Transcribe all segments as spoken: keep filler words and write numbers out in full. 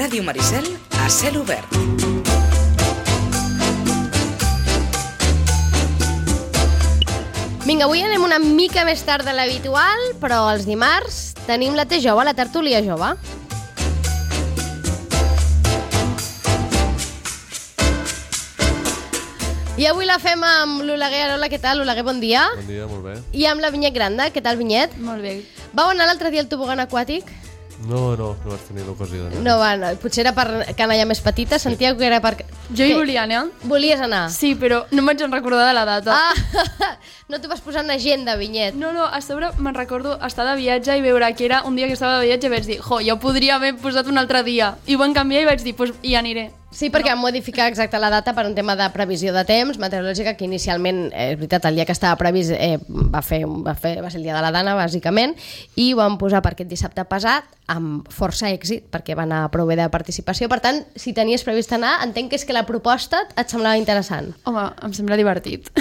Ràdio Maricel a cel obert. Vinga, avui anem una mica més tard de l'habitual, però els dimarts tenim la T jove, la tertúlia jove. I avui la fem amb l'Oleguer. Hola, què tal, Oleguer? Bon dia. Bon dia, molt bé. I amb la Vinyet Granda. Què tal, Vinyet? Molt bé. Vau anar l'altre dia al tobogan aquàtic? No, no, no vaig tenir l'ocasió d'anar. No, va, no. Potser era per canalla més petita, sentíeu que era per... Jo hi volia anar. Volies anar? Sí, però no em vaig recordar de la data. Ah, no t'ho vas posar en agenda, Vinyet. No, no, a sobre me'n recordo estar de viatge i veure que era un dia que estava de viatge i vaig dir, jo, ja ho podria haver posat un altre dia. I ho van canviar i vaig dir, doncs hi aniré. Sí, perquè no. Van modificar exacte la data per un tema de previsió de temps meteorològica, que inicialment, eh, és veritat, el dia que estava previst eh, va, fer, va, fer, va ser el dia de la Dana, bàsicament, i ho van posar per aquest dissabte passat amb força èxit, perquè va anar prou bé de participació. Per tant, si tenies previst anar, entenc que és que la proposta et semblava interessant. Home, em sembla divertit.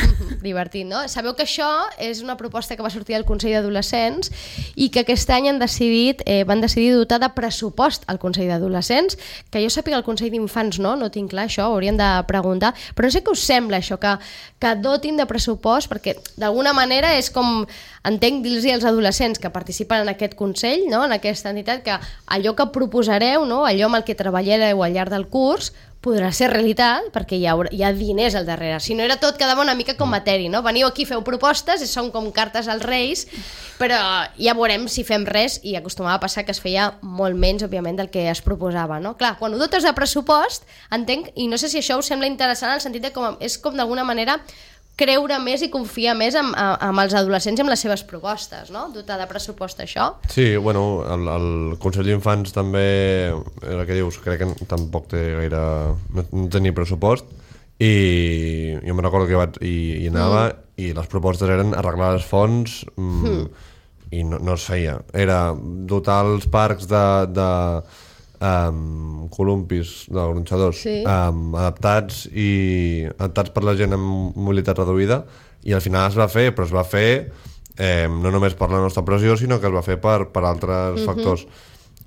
Divertit, no? Sabeu que això és una proposta que va sortir del Consell d'Adolescents i que aquest any han decidit, eh, van decidir dotar de pressupost al Consell d'Adolescents, que jo sàpiga el Consell d'Infants no, no tinc clar això, ho hauríem de preguntar, però no sé què us sembla això, que, que dotin de pressupost, perquè d'alguna manera és com, entenc, dir-los als adolescents que participen en aquest Consell, no, en aquesta entitat, que allò que proposareu, no, allò amb el que treballareu al llarg del curs, podrà ser realitat, perquè hi ha, hi ha diners al darrere. Si no era tot, quedava una mica com matèria, no? Veniu aquí, feu propostes, i són com cartes als reis, però ja veurem si fem res, i acostumava a passar que es feia molt menys, òbviament, del que es proposava, no? Clar, quan ho dotes de pressupost, entenc, i no sé si això us sembla interessant, en el sentit de com, és com d'alguna manera creure més i confiar més amb, amb els adolescents i amb les seves propostes, no? Dotar de pressupost això. Sí, bueno, el, el Consell d'Infants també, el que dius, crec que tampoc té gaire... no, no tenia pressupost, i jo me'n recordo que vaig, i, i anava, mm. i les propostes eren arreglar les fonts, mm, mm. i no, no es feia. Era dotar els parcs de... de Um, columpis, de gronxadors, sí. um, adaptats i adaptats per la gent amb mobilitat reduïda, i al final es va fer, però es va fer eh, no només per la nostra pressió, sinó que es va fer per, per altres uh-huh. factors,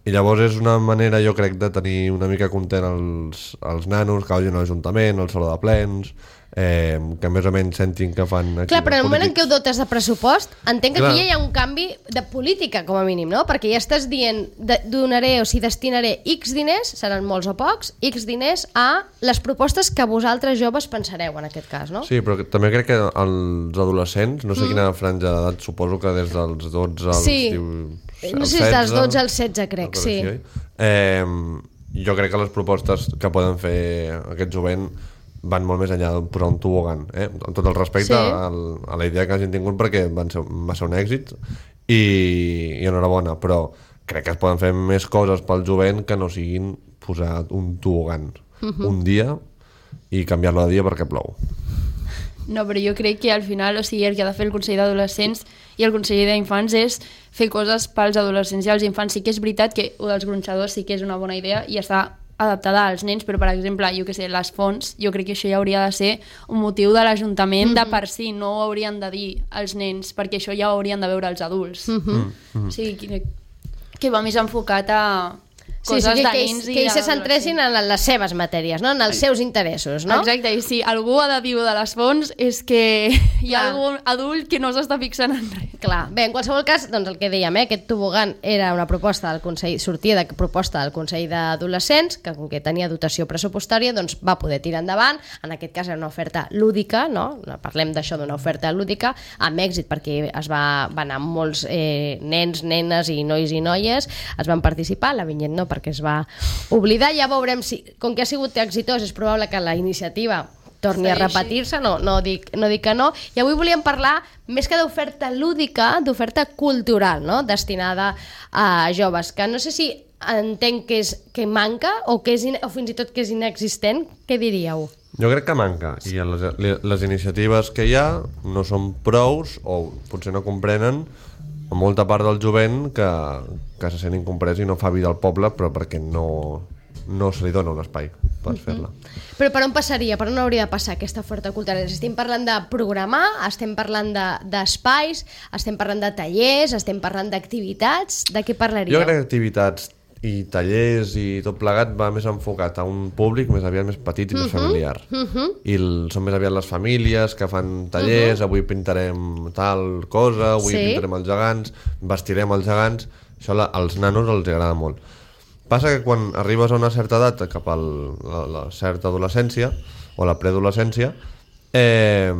i llavors és una manera, jo crec, de tenir una mica content els, els nanos que vagin a l'Ajuntament, al saló de plens, eh, que més o menys sentin que fan... Clar, però en el moment en què ho dotes de pressupost, entenc que Clar. Aquí ja hi ha un canvi de política, com a mínim, no? Perquè ja estàs dient, de, donaré, o sigui, destinaré X diners, seran molts o pocs, X diners a les propostes que vosaltres joves pensareu, en aquest cas, no? Sí, però també crec que els adolescents, no sé mm. quina franja d'edat, suposo que des dels dotze als... Sí, diu, no sé si dels dotze als setze, crec, sí. Eh, jo crec que les propostes que poden fer aquest jovent van molt més enllà de posar un tobogan, eh? Amb tot el respecte sí. al, a la idea que hagin tingut, perquè van ser, va ser un èxit i, i enhorabona, però crec que es poden fer més coses pel jovent que no siguin posar un tobogan uh-huh. un dia i canviar-lo de dia perquè plou. No, però jo crec que al final, o sigui, el que ha de fer el Consell d'Adolescents i el Consell d'Infants és fer coses pels adolescents i els infants. Sí que és veritat que ho dels gronxadors sí que és una bona idea i està adaptada als nens, però per exemple, jo que sé, les fonts, jo crec que això ja hauria de ser un motiu de l'Ajuntament mm-hmm. de per si, no ho haurien de dir als nens, perquè això ja ho haurien de veure els adults. Mm-hmm. Mm-hmm. O sigui, que, que va més enfocat a coses sí, sí, que, de nens que, i que ells se centressin en les seves matèries, no? En els seus interessos, no? Exacte, i si algú ha de dir de les fonts és que hi ha Clar. Algun adult que no s'està fixant en res. Clar, bé, en qualsevol cas, doncs el que dèiem, eh, aquest tobogan era una proposta del Consell, sortia de proposta del Consell d'Adolescents, que com que tenia dotació pressupostària, doncs va poder tirar endavant, en aquest cas era una oferta lúdica, no? Parlem d'això d'una oferta lúdica, amb èxit, perquè es va, va anar molts eh, nens, nenes i nois i noies, es van participar, la Vinyet no, perquè es va oblidar. Ja veurem si, com que ha sigut exitós, és probable que la iniciativa torni a repetir-se, no, no, dic, no dic que no. I avui volíem parlar, més que d'oferta lúdica, d'oferta cultural, no? Destinada a joves, que no sé si entenc que, és, que manca o, que és in, o fins i tot que és inexistent. Què diríeu? Jo crec que manca, i les, les iniciatives que hi ha no són prous o potser no comprenen a molta part del jovent que, que se sent incomprès i no fa vida al poble, però perquè no, no se li dona un espai per uh-huh. fer-la. Però per on passaria? Per on hauria de passar aquesta oferta cultural? Estem parlant de programar, estem parlant d'espais, de, estem parlant de tallers, estem parlant d'activitats, de què parlaríeu? Jo crec que activitats i tallers i tot plegat va més enfocat a un públic més aviat més petit i més familiar. Uh-huh. I el, són més aviat les famílies que fan tallers, uh-huh. avui pintarem tal cosa, avui Sí. pintarem els gegants, vestirem els gegants. Això la, als nanos els agrada molt. Passa que quan arribes a una certa edat, cap a la, la certa adolescència o la preadolescència, eh,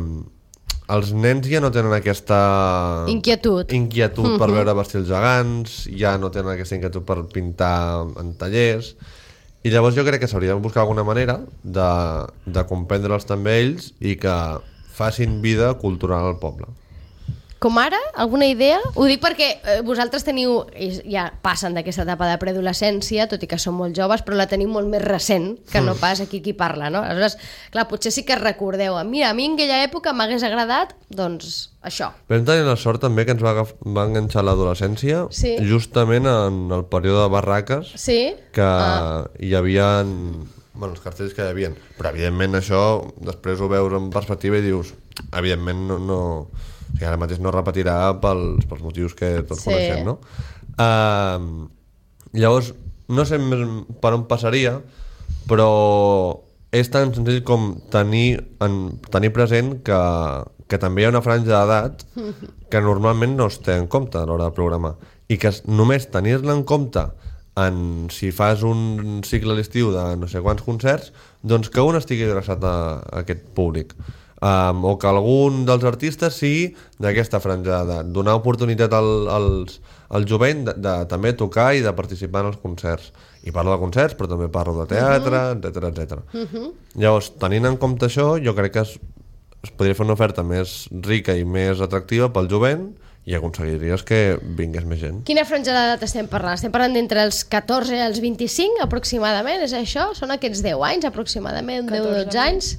els nens ja no tenen aquesta Inquietud. inquietud per veure vestir els gegants, ja no tenen aquesta inquietud per pintar en tallers, i llavors jo crec que s'hauria de buscar alguna manera de, de comprendre'ls també ells i que facin vida cultural al poble. Com ara? Alguna idea? Ho dic perquè eh, vosaltres teniu, ja passen d'aquesta etapa de preadolescència, tot i que són molt joves, però la teniu molt més recent que no pas aquí qui parla, no? Aleshores, clar, potser sí que recordeu, mira, a mi en aquella època m'hagués agradat, doncs, això. Vam tenir la sort també que ens va, agaf- va enganxar l'adolescència Sí. justament en el període de barraques, Sí? que Ah. hi havia bueno, els cartells que hi havia, però evidentment això després ho veus en perspectiva i dius evidentment no, no o sigui, ara mateix no repetirà pels, pels motius que tots Sí. coneixem, no? Uh, llavors no sé més per on passaria, però és tan senzill com tenir, en, tenir present que, que també hi ha una franja d'edat que normalment no es té en compte a l'hora de programar i que es- només tenir-la en compte en, si fas un cicle a l'estiu de no sé quants concerts, doncs que un estigui adreçat a, a aquest públic. Um, o que algun dels artistes sigui d'aquesta franja d'edat, donar oportunitat al, als, al jovent de, de també tocar i de participar en els concerts. I parlo de concerts, però també parlo de teatre, etcètera, etcètera. Uh-huh. Llavors, tenint en compte això, jo crec que es, es podria fer una oferta més rica i més atractiva pel jovent i aconseguiries que vingués més gent. Quina franja d'edat estem parlant? Estem parlant d'entre els catorze i els vint-i-cinc, aproximadament, és això? Són aquests deu anys, aproximadament, deu o dotze anys?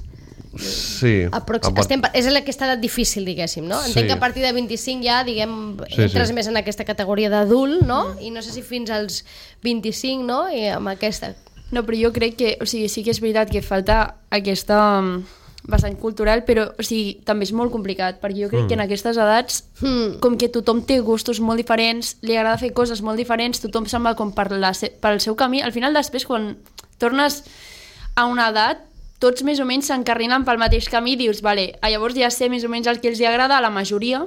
Sí. Aprox a part- estem, és aquesta edat difícil, diguéssim, no? Entenc Sí. que a partir de vint-i-cinc ja, diguem, Sí, entres sí. més en aquesta categoria d'adult, no? I no sé si fins als vint-i-cinc, no? I amb aquesta... No, però jo crec que, o sigui, sí que és veritat que falta aquesta um, vessant cultural, però o sigui, també és molt complicat, perquè jo crec mm. que en aquestes edats, Hmm. com que tothom té gustos molt diferents, li agrada fer coses molt diferents, tothom se'n va com per, la, se- pel seu camí, al final després quan tornes a una edat, tots més o menys s'encarrinen pel mateix camí i dius, vale, llavors ja sé més o menys el que els hi agrada a la majoria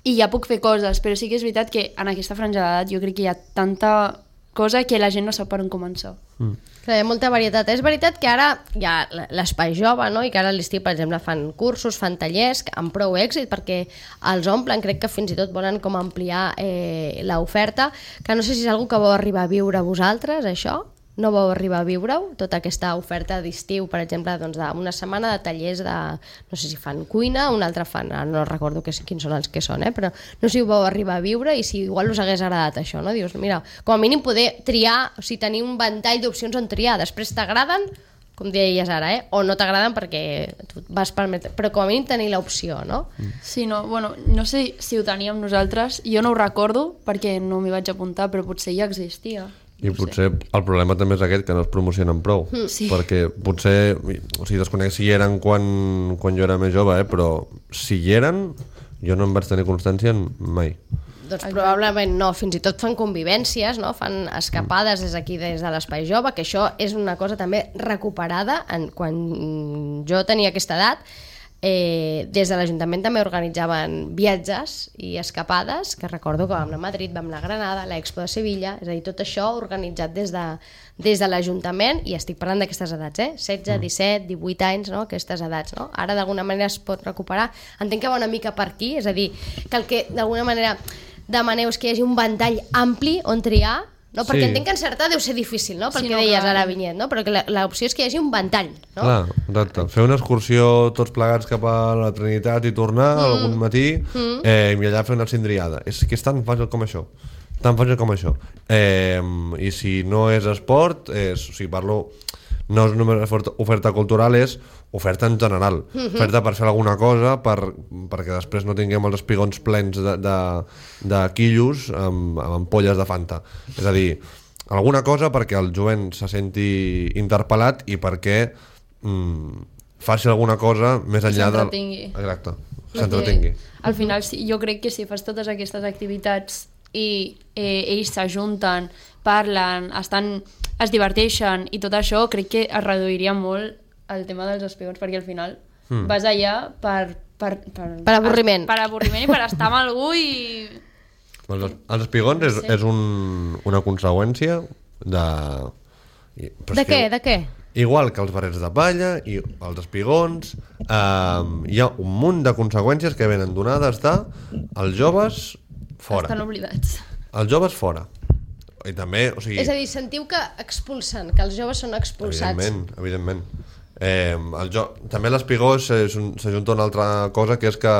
i ja puc fer coses, però sí que és veritat que en aquesta franja d'edat jo crec que hi ha tanta cosa que la gent no sap per on començar. Mm. Clar, hi ha molta varietat. És veritat que ara hi ha l'espai jove, no? I que ara a l'estiu, per exemple, fan cursos, fan tallers amb prou èxit perquè els omplen, crec que fins i tot volen com ampliar eh, l'oferta, que no sé si és algo que vau arribar a viure vosaltres, això? No vau arribar a viure-ho? Tota aquesta oferta d'estiu, per exemple, doncs d'una setmana de tallers de... No sé si fan cuina, un altre fan... No recordo que, quins són els que són, eh? Però no sé si ho vau arribar a viure i si igual us hagués agradat això, no? Dius, mira, com a mínim poder triar, o sigui, tenir un ventall d'opcions on triar. Després t'agraden, com deies ara, eh? O no t'agraden perquè tu vas permetre... Però com a mínim tenir l'opció, no? Sí, no, bueno, no sé si ho teníem nosaltres, jo no ho recordo perquè no m'hi vaig apuntar, però potser ja existia. I potser el problema també és aquest, que no es promocionen prou. Sí. Perquè potser, o sigui, desconec si hi eren quan, quan jo era més jove, eh? Però si hi eren, jo no en vaig tenir constància mai. Doncs probablement no, fins i tot fan convivències, no? Fan escapades des d'aquí, des de l'Espai Jove, que això és una cosa també recuperada en, quan jo tenia aquesta edat. Eh, des de l'Ajuntament també organitzaven viatges i escapades, que recordo que vam anar a Madrid, vam anar a Granada, a l'Expo de Sevilla, és a dir, tot això organitzat des de, des de l'Ajuntament, i estic parlant d'aquestes edats, eh? setze, disset, divuit anys, no? Aquestes edats, no? Ara d'alguna manera es pot recuperar. Entenc que va una mica per aquí, és a dir, que el que d'alguna manera demaneu és que hi hagi un ventall ampli on triar, no? Perquè Sí. entenc que encertar deu ser difícil, no? Pel Sí, que no, deies clar. ara, Vinyet, no? Però que la- l'opció és que hi hagi un ventall, no? Clar, exacte. Fer una excursió tots plegats cap a la Trinitat i tornar mm. algun matí mm. eh, i allà fer una cindriada. És que és tan fàcil com això. Tan fàcil com això. Eh, I si no és esport, és, o sigui, parlo... No és només oferta, oferta cultural, és oferta en general. Mm-hmm. Oferta per fer alguna cosa, per, perquè després no tinguem els espigons plens de, de, de quillos amb, amb ampolles de Fanta. És a dir, alguna cosa perquè el jovent se senti interpel·lat i perquè mm, faci alguna cosa més enllà del... S'entretingui. Exacte, s'entretingui. Al final, sí, jo crec que si fas totes aquestes activitats i eh, ells s'ajunten, parlen, estan, es diverteixen i tot això, crec que es reduiria molt el tema dels espigons, perquè al final mm. vas allà per... Per, per, per avorriment. Per avorriment i per estar amb algú i... Els, els espigons és, és un, una conseqüència de... De què? De què? Igual que els barrets de palla i els espigons, eh, hi ha un munt de conseqüències que venen donades de els joves fora. Estan oblidats. Els joves fora. I també, o sigui... És a dir, sentiu que expulsen, que els joves són expulsats. Evidentment, evidentment. Eh, el jo... També l'espigó s'ajunta una altra cosa, que és que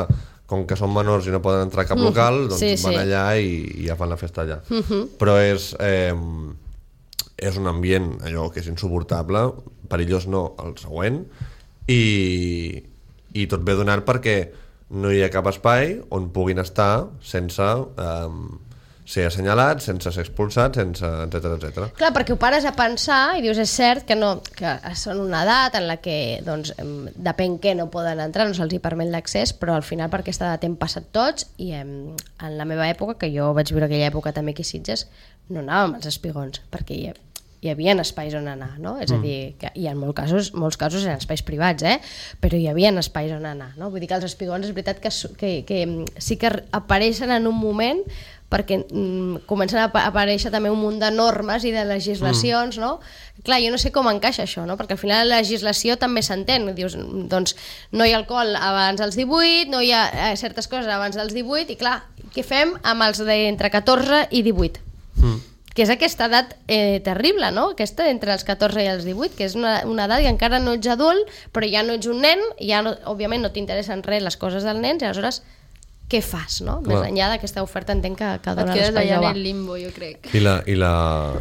com que són menors i no poden entrar a cap local, doncs sí, van sí. allà i, i ja fan la festa allà. Uh -huh. Però és... Eh, és un ambient allò que és insuportable, perillós no, el següent, i, i tot ve donat perquè no hi ha cap espai on puguin estar sense eh, ser assenyalats, sense ser expulsats, sense etcètera etcètera. Clar, perquè ho pares a pensar i dius, és cert que, no, que són una edat en la que doncs, depèn què no poden entrar, no se'ls hi permet l'accés, però al final per aquesta edat hem passat tots i em, en la meva època, que jo vaig viure aquella època també aquí a Sitges, no anàvem als espigons, perquè hi, hi havia espais on anar, no? És a dir, que, i en molts casos, molts casos eren espais privats, eh? Però hi havia espais on anar, no? Vull dir que els espigons és veritat que, que, que sí que apareixen en un moment perquè mm, comencen a aparèixer també un munt de normes i de legislacions, mm. no? Clar, jo no sé com encaixa això, no? Perquè al final la legislació també s'entén, dius, doncs no hi ha alcohol abans dels divuit, no hi ha eh, certes coses abans dels divuit, i clar, què fem amb els d'entre catorze i divuit? Mm. Que és aquesta edat eh, terrible, no? Aquesta entre els catorze i els divuit, que és una, una edat que encara no ets adult, però ja no ets un nen, ja no, òbviament no t'interessen res les coses dels nens, i aleshores què fas, no? Clar. Més enllà d'aquesta oferta entenc que, que dona l'espai jove. Et quedes allà en el limbo, jo crec. I la, i la,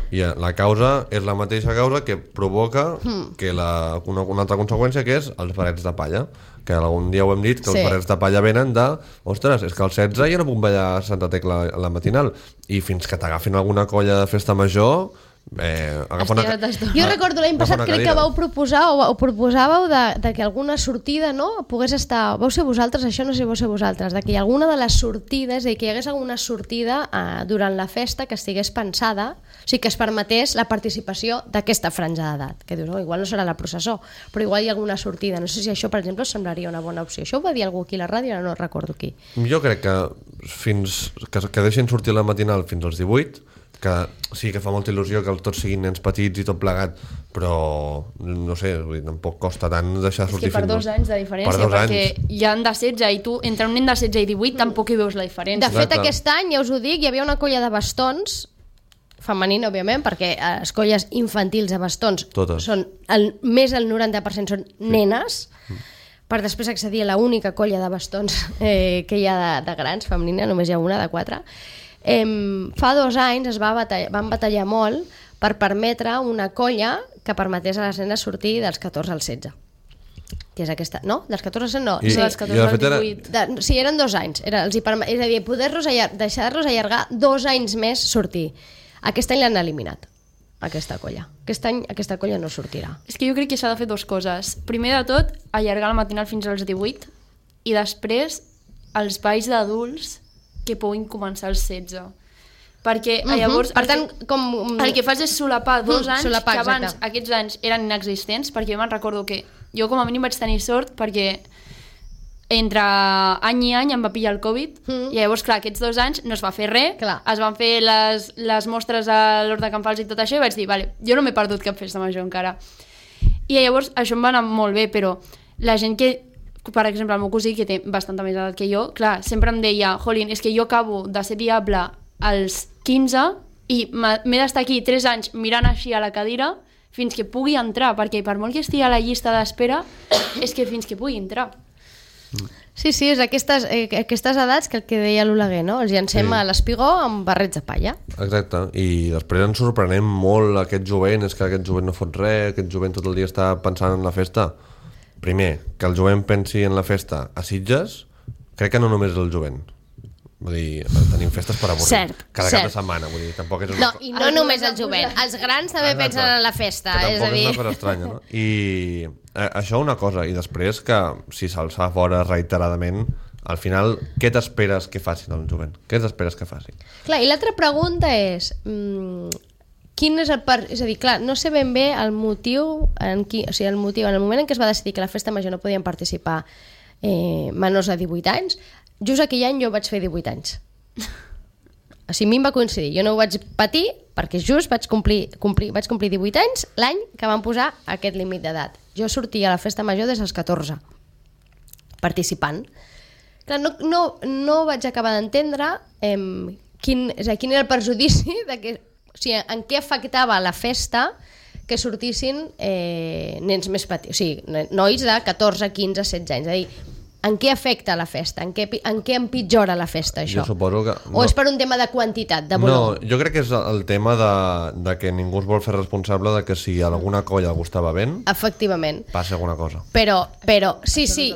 i la causa és la mateixa causa que provoca mm. que la, una, una altra conseqüència, que és els barrets de palla, que algun dia ho hem dit, que sí. Els barrets de palla venen de, ostres, és que al setze ja no puc ballar a Santa Tecla a la matinal, i fins que t'agafin alguna colla de festa major... Eh, una... Jo recordo l'any passat crec que vau proposar o, o proposàveu de, de que alguna sortida no pogués estar, vau ser vosaltres, això no sé vau ser vosaltres, de que alguna de les sortides, de que hi hagués alguna sortida eh, durant la festa que estigués pensada, o sigui que es permetés la participació d'aquesta franja d'edat, que dius, oh, igual no serà la processó, però igual hi ha alguna sortida, no sé si això per exemple semblaria una bona opció. Això ho va dir algú aquí a la ràdio, ara no recordo qui. Jo crec que fins que, que deixin sortir la matinal fins als divuit, que sí que fa molta il·lusió que tots siguin nens petits i tot plegat, però no sé, vull dir, tampoc costa tant deixar sortir fins... És que per dos anys de diferència, perquè anys. Hi han de setze i tu, entre un nen de setze i divuit, tampoc hi veus la diferència. De fet, Exacte. Aquest any, ja us ho dic, hi havia una colla de bastons, femenina, òbviament, perquè les colles infantils de bastons Totes. Són el, més del noranta per cent són nenes, sí. Per després accedir a l'única colla de bastons eh, que hi ha de, de grans, femenina, només hi ha una de quatre. Eh, fa dos anys es va batallar, van batallar molt per permetre una colla que permetés a les nenes sortir dels catorze als setze, que és aquesta, no? Dels catorze als setze no, I, sí, dels catorze als divuit era... de, sí, eren dos anys era, els hi permet, és a dir, poder-los allar, deixar-los allargar dos anys més sortir. Aquest any l'han eliminat, aquesta colla. Aquest any aquesta colla no sortirà. És que jo crec que s'ha de fer dues coses. Primer de tot, allargar la matinal fins als divuit, i després els balls d'adults que puguin començar als setze. Perquè uh -huh. llavors per tant, el, que, com... el que fas és solapar dos anys solapar, que abans exacte. Aquests anys eren inexistents, perquè jo me'n recordo que jo com a mínim vaig tenir sort perquè entre any i any em va pillar el Covid mm. i llavors clar, aquests dos anys no es va fer res, clar. Es van fer les, les mostres a l'Hort de Can Fals i tot això i vaig dir, vale, jo no m'he perdut cap festa major encara. I llavors això em va anar molt bé, però la gent que per exemple, el meu cosí, que té bastanta més edat que jo, clar, sempre em deia, jolín, és que jo acabo de ser diable als quinze i m'he d'estar aquí tres anys mirant així a la cadira fins que pugui entrar, perquè per molt que estigui a la llista d'espera, és que fins que pugui entrar. Sí, sí, és aquestes, eh, aquestes edats que el que deia l'Oleguer, no? Els llancem sí. a l'espigó amb barrets de palla. Exacte, i després ens sorprenem molt aquest jovent, és que aquest jovent no fot res, aquest jovent tot el dia està pensant en la festa. Primer, que el jovent pensi en la festa a Sitges, crec que no només és el jovent. Vull dir, tenim festes per avorrir. Cert, cada cert. cap de setmana. Vull dir, tampoc és una... No, i no només el jovent. Els grans també Exacte. pensen en la festa. Que és tampoc a dir... és una cosa estranya, no? I eh, això una cosa. I després que si se'ls fa fora reiteradament, al final, què t'esperes que facin el jovent? Què t'esperes que facin? Clar, i l'altra pregunta és... Mmm, quin és el... Per... És a dir, clar, no sé ben bé el motiu, en qui... o sigui, el motiu, en el moment en què es va decidir que a la festa major no podien participar eh, menors de divuit anys, just aquell any jo vaig fer divuit anys. O sigui, a mi em va coincidir. Jo no ho vaig patir perquè just vaig complir, complir, vaig complir divuit anys l'any que van posar aquest límit d'edat. Jo sortia a la festa major des dels catorze, participant. Clar, no, no, no vaig acabar d'entendre eh, quin, és a dir, quin era el perjudici de que, o sigui, en què afectava la festa que sortissin eh, nens més petits, o sigui, nois de catorze, quinze, setze anys. És a dir, en què afecta la festa? En què, en què empitjora la festa, això? Jo suposo que... No. O és per un tema de quantitat, de volum? No, jo crec que és el tema de, de que ningú es vol fer responsable de que si a alguna colla algú estava ben... Efectivament. Passi alguna cosa. Però, però sí, sí,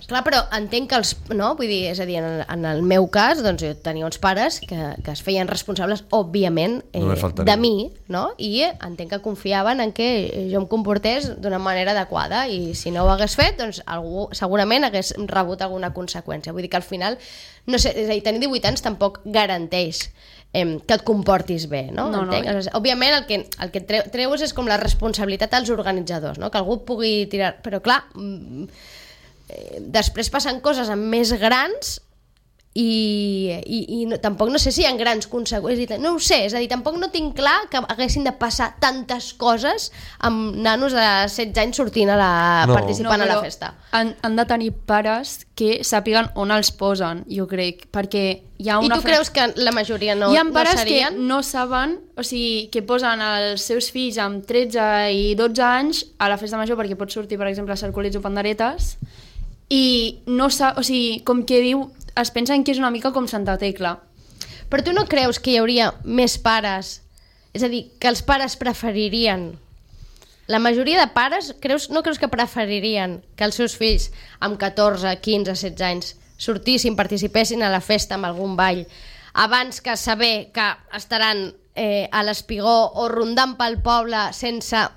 clar, però entenc que els... No? Vull dir, és a dir, en el, en el meu cas, doncs jo tenia uns pares que, que es feien responsables, òbviament, eh, de mi, no? I entenc que confiaven en que jo em comportés d'una manera adequada i si no ho hagués fet, doncs algú segurament hagués rebut alguna conseqüència. Vull dir que al final, no sé, és a dir, tenir divuit anys tampoc garanteix eh, que et comportis bé, no? No, no, no. Òbviament el que, el que treu, treus és com la responsabilitat dels organitzadors, no? Que algú pugui tirar... Però clar, eh, després passen coses amb més grans i, i, i no, tampoc no sé si hi ha grans conseqüències, no ho sé, és a dir, tampoc no tinc clar que haguessin de passar tantes coses amb nanos de setze anys sortint a la, no. participant no, a la festa. Han, han de tenir pares que sàpiguen on els posen, jo crec, perquè hi ha una... I tu creus que la majoria no, hi ha pares no serien? que no saben, o sigui, que posen els seus fills amb tretze i dotze anys a la festa major perquè pot sortir, per exemple, a cercolets o panderetes i no sap, o sigui, com que diu, es pensen que és una mica com Santa Tecla. Però tu no creus que hi hauria més pares? És a dir, que els pares preferirien... La majoria de pares, creus, no creus que preferirien que els seus fills amb catorze, quinze, setze anys sortissin, participessin a la festa amb algun ball abans que saber que estaran eh, a l'espigó o rondant pel poble sense...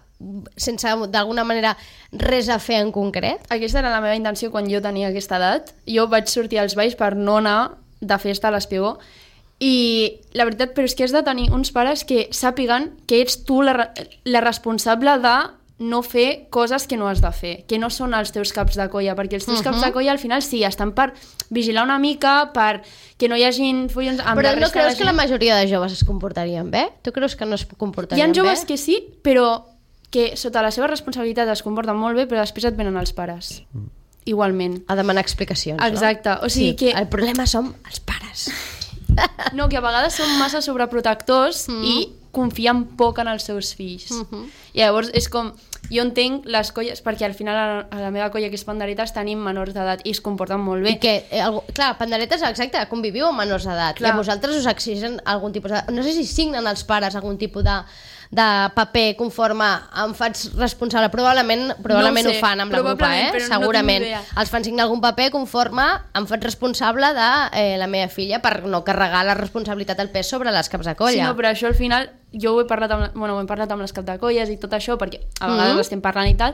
sense d'alguna manera res a fer en concret? Aquesta era la meva intenció quan jo tenia aquesta edat. Jo vaig sortir als balls per no anar de festa a l'espigó i la veritat, però és que has de tenir uns pares que sàpiguen que ets tu la, la responsable de no fer coses que no has de fer, que no són els teus caps de colla, perquè els teus uh-huh. caps de colla al final sí, estan per vigilar una mica, per que no hi hagin follons amb però la no resta creus de que la majoria de joves es comportarien bé? Tu creus que no es comportarien bé? Hi ha joves bé? Que sí, però que sota la seva responsabilitat es comporten molt bé, però després et venen els pares. Igualment. A demanar explicacions, exacte. No? O sigui sí, que... El problema som els pares. No, que a vegades són massa sobreprotectors mm. i confien poc en els seus fills. Mm-hmm. I llavors és com... Jo entenc les colles, perquè al final a, a la meva colla, que és Panderetes, tenim menors d'edat i es comporten molt bé. I que, eh, algú, clar, Panderetes, exacte, conviviu amb menors d'edat. I a vosaltres us exigen algun tipus de... No sé si signen els pares algun tipus de... de paper conforme em faig responsable, probablement, probablement no ho, sé, ho fan amb la grupa, eh? Segurament no els fan signar algun paper conforme em faig responsable de eh, la meva filla per no carregar la responsabilitat del pes sobre les caps de colla. Sí, no, però això al final jo ho he parlat amb, bueno, ho he parlat amb les caps de colles i tot això, perquè a vegades mm-hmm. estem parlant i tal,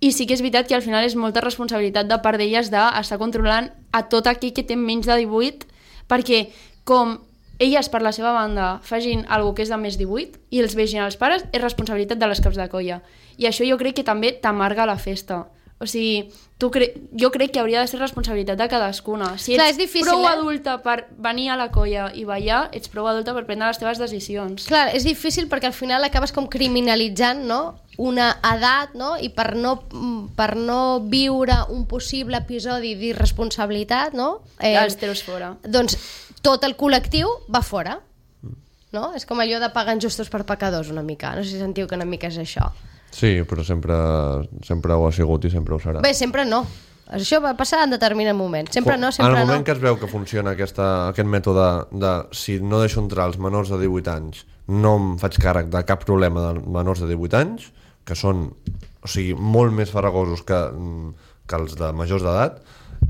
i sí que és veritat que al final és molta responsabilitat de part d'elles d'estar controlant a tot aquell que té menys de divuit, perquè com elles per la seva banda facin alguna que és de més divuit i els vegin els pares, és responsabilitat de les caps de colla. I això jo crec que també t'amarga la festa. O sigui, tu cre... jo crec que hauria de ser responsabilitat de cadascuna. Si ets Clar, difícil, prou eh? adulta per venir a la colla i ballar, ets prou adulta per prendre les teves decisions. Clar, és difícil perquè al final acabes com criminalitzant, no?, una edat, no?, i per no, per no viure un possible episodi d'irresponsabilitat, no?, eh, els teus fora. Doncs tot el col·lectiu va fora, no? És com allò de pagar injustos per pecadors una mica, no sé si sentiu que una mica és això. Sí, però sempre, sempre ho ha sigut i sempre ho serà. Bé, sempre no. Això va passar en determinat moment. Sempre no, sempre no. En el moment no. que es veu que funciona aquesta, aquest mètode de si no deixo entrar els menors de divuit anys, no em faig càrrec de cap problema de menors de divuit anys, que són, o sigui, molt més farragosos que, que els de majors d'edat,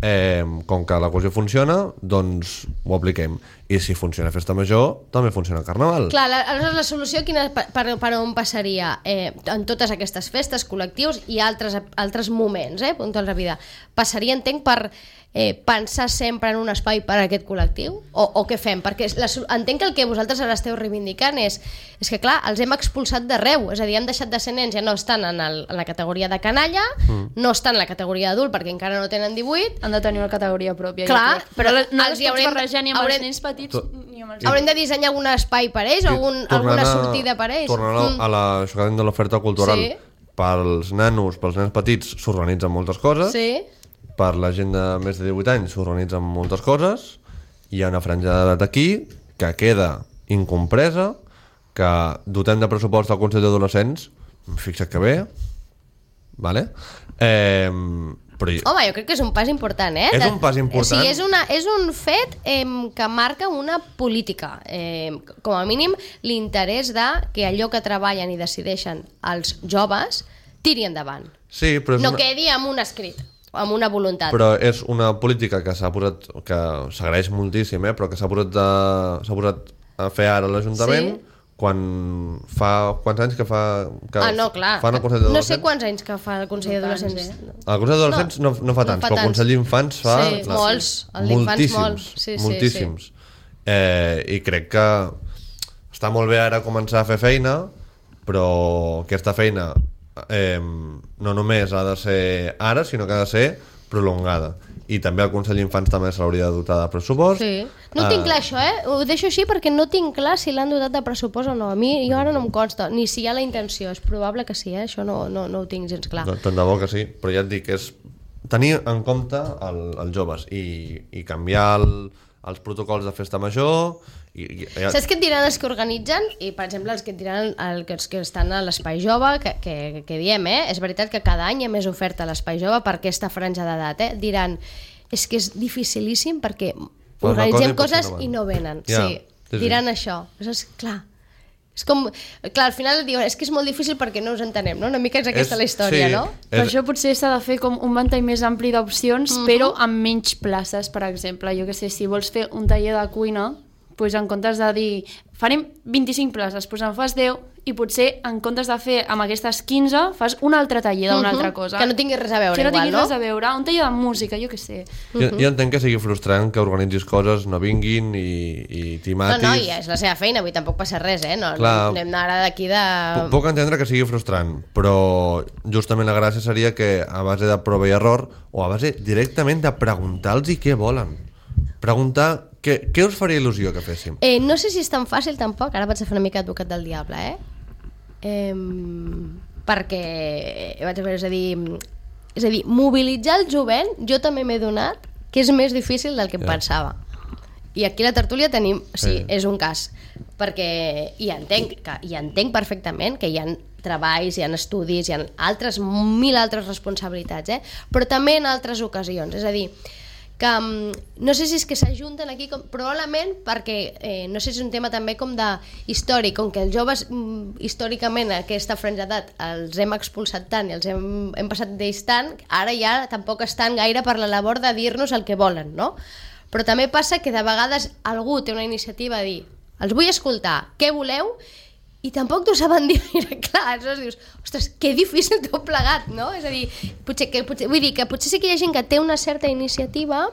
eh, com que la qüestió funciona, doncs ho apliquem. I si funciona Festa Major, també funciona el Carnaval. Clar, la, aleshores la solució quina, per, per on passaria? Eh, en totes aquestes festes, col·lectius i altres, altres moments, eh, puntuals de vida. Passaria, entenc, per eh, pensar sempre en un espai per a aquest col·lectiu? O, o què fem? Perquè la, entenc que el que vosaltres ara esteu reivindicant és, és que, clar, els hem expulsat d'arreu. És a dir, han deixat de ser nens, ja no estan en, el, en la categoria de canalla, mm. no estan en la categoria d'adult perquè encara no tenen divuit. Han de tenir una categoria pròpia. Clar, però no els, els pots haurem, barrejar ni amb haurem, els nens petits ni amb els... Haurem de dissenyar algun espai per ells, o algun, alguna sortida per ells. Tornant a, a la, això que de l'oferta cultural, sí. Pels nanos, pels nens petits s'organitzen moltes coses, sí. Per la gent de més de divuit anys s'organitzen moltes coses, hi ha una franja d'edat aquí que queda incompresa, que dotem de pressupost al Consell d'Adolescents, fixa't que bé, vale? Eh, però... Home, jo crec que és un pas important, eh? És un pas important. O sigui, és, una, és un fet eh, que marca una política. Eh, com a mínim, l'interès de que allò que treballen i decideixen els joves tiri endavant. Sí, però és no una... quedi amb un escrit, amb una voluntat. Però és una política que s'ha posat, que s'agraeix moltíssim, eh? Però que s'ha posat, de... s'ha posat a fer ara l'Ajuntament, sí. Quan fa... Quants anys que fa... Que ah, no, clar. Fan el Consell d'Adolescents? No sé quants anys que fa el Consell d'Adolescents. Eh? El Consell d'Adolescents no, no, no fa tants, no fa però el Consell d'Infants fa... Sí, la... molts. El d'Infants molts. Sí, moltíssims. Sí, sí. Eh, I crec que està molt bé ara començar a fer feina, però aquesta feina eh, no només ha de ser ara, sinó que ha de ser prolongada. I també el Consell d'Infants també se l'hauria de dotar de pressupost. Sí. No ho tinc clar, això, eh? Ho deixo així perquè no tinc clar si l'han dotat de pressupost o no. A mi, jo ara no em consta, ni si hi ha la intenció. És probable que sí, eh? Això no, no, no ho tinc gens clar. No, tant de bo que sí, però ja et dic, és tenir en compte el, els joves i, i canviar el, els protocols de festa major... I, i, ja... Saps què et diran els que organitzen? I, per exemple, els que et diran el, els que estan a l'Espai Jove, que, que, que diem, eh? És veritat que cada any hi ha més oferta a l'Espai Jove per aquesta franja d'edat, eh? Diran, és que és dificilíssim perquè organitzem coses i no venen. Ja, sí, sí, sí. Diran això. És clar. És com, clar, al final diuen, és que és molt difícil perquè no us entenem, no? Una mica és aquesta és, la història, sí, no? És... Per això potser s'ha de fer com un ventall més ampli d'opcions, uh-huh. però amb menys places, per exemple. Jo que sé, si vols fer un taller de cuina, doncs en comptes de dir farem vint-i-cinc places, doncs en fas deu i potser en comptes de fer amb aquestes quinze fas un altre taller d'una uh-huh. altra cosa. Que no tingui res a veure, que no igual, tingui no? res a veure, un taller de música, jo què sé. Uh-huh. Jo, jo entenc que sigui frustrant que organitzis coses, no vinguin i, i t'hi matis. No, no, ja és la seva feina, avui tampoc passa res, eh? No, Clar, no anem ara d'aquí de... Puc entendre que sigui frustrant, però justament la gràcia seria que a base de prova i error o a base directament de preguntar-los què volen. Preguntar què, què us faria il·lusió que féssim. Eh, no sé si és tan fàcil tampoc, ara vaig a fer una mica advocat del diable, eh? eh perquè vaig a veure, és a dir, és a dir, mobilitzar el jovent, jo també m'he donat que és més difícil del que em yeah. pensava. I aquí a la tertúlia tenim, sí, sí, és un cas, perquè hi entenc, que, hi entenc perfectament que hi ha treballs, hi ha estudis, hi ha altres, mil altres responsabilitats, eh? Però també en altres ocasions, és a dir, que no sé si és que s'ajunten aquí com, probablement perquè eh, no sé si és un tema també com de històric, com que els joves mm, històricament a aquesta franja d'edat els hem expulsat tant i els hem, hem passat d'ells tant, ara ja tampoc estan gaire per la labor de dir-nos el que volen, no? Però també passa que de vegades algú té una iniciativa a dir, els vull escoltar, què voleu? I tampoc t'ho saben dir gaire clar, aleshores dius, ostres, que difícil t'ho plegat, no? És a dir, potser que, potser, vull dir que potser sí que hi ha gent que té una certa iniciativa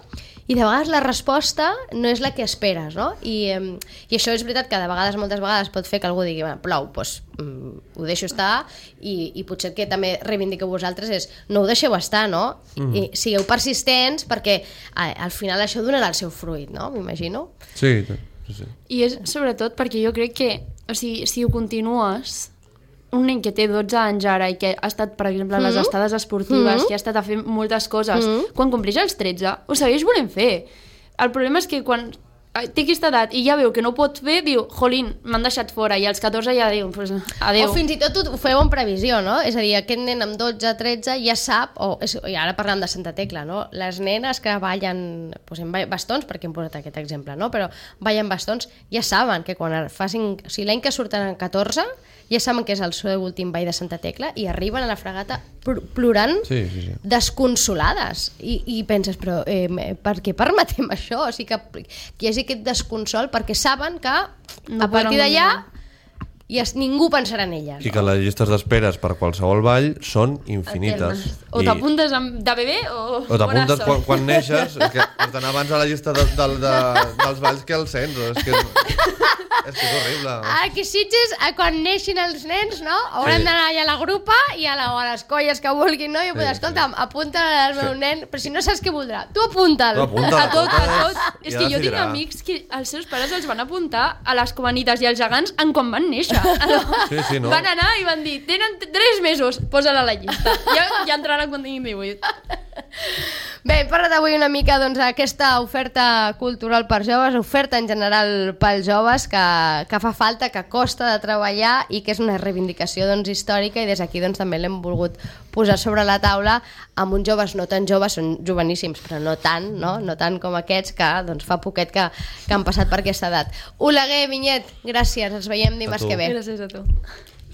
i de vegades la resposta no és la que esperes, no? I, eh, i això és veritat que de vegades, moltes vegades pot fer que algú digui, plou, doncs mm, ho deixo estar i, i potser que també reivindiqueu vosaltres és no ho deixeu estar, no? Mm. I sigueu persistents perquè eh, al final això donarà el seu fruit, no? M'imagino. Sí, sí, sí. I és sobretot perquè jo crec que o sigui, si ho continues, un nen que té dotze anys ara i que ha estat, per exemple, a les Mm-hmm. estades esportives, Mm-hmm. que ha estat a fer moltes coses, Mm-hmm. quan compleix els tretze, ho segueix volent fer. El problema és que quan té aquesta edat i ja veu que no pot fer, diu, jolín, m'han deixat fora, i als catorze ja diu, pues, adeu. O fins i tot ho feu en previsió, no? És a dir, aquest nen amb dotze, tretze ja sap, o és, i ara parlem de Santa Tecla, no? Les nenes que ballen, posem bastons, perquè hem posat aquest exemple, no? Però ballen bastons, ja saben que quan facin, o sigui, l'any que surten en catorze, ja saben que és el seu últim ball de Santa Tecla i arriben a la fregata plorant sí, sí, sí. desconsolades i, i penses, però eh, per què permetem això? O sigui, que, que hi hagi aquest desconsol perquè saben que No a partir poden d'allà guanyar. i es, ningú pensarà en elles. I que les llistes d'esperes per qualsevol ball són infinites. O t'apuntes amb- de bebè o... O t'apuntes bona quan, sort. quan neixes, és que has d'anar abans a la llista de, de, de, dels balls que al centre. És que és, és, que és horrible. Aquí Sitges, a quan neixin els nens, no? Haurem Sí. d'anar allà a la grupa i a, la, o a les colles que vulguin, no? I Sí, sí, escolta'm, apunta al meu nen, però si no saps què voldrà, tu apunta'l. Tu apunta'l. A tot, a tot. I És ja que jo tinc decidirà. amics que els seus pares els van apuntar a les comanites i als gegants en quan van néixer. Sí, sí, no? Van anar i van dir, tenen tres mesos, posa-la a la llista. Ja, ja entraran quan tinguin divuit. Bé, hem parlat avui una mica doncs, d'aquesta oferta cultural per joves, oferta en general pels joves, que, que fa falta, que costa de treballar i que és una reivindicació doncs, històrica, i des d'aquí doncs, també l'hem volgut posar sobre la taula amb uns joves no tan joves, són joveníssims, però no tant, no, no tant com aquests que doncs, fa poquet que, que han passat per aquesta edat. Oleguer, Vinyet, gràcies, ens veiem dimarts tu. que ve. Gràcies a tu.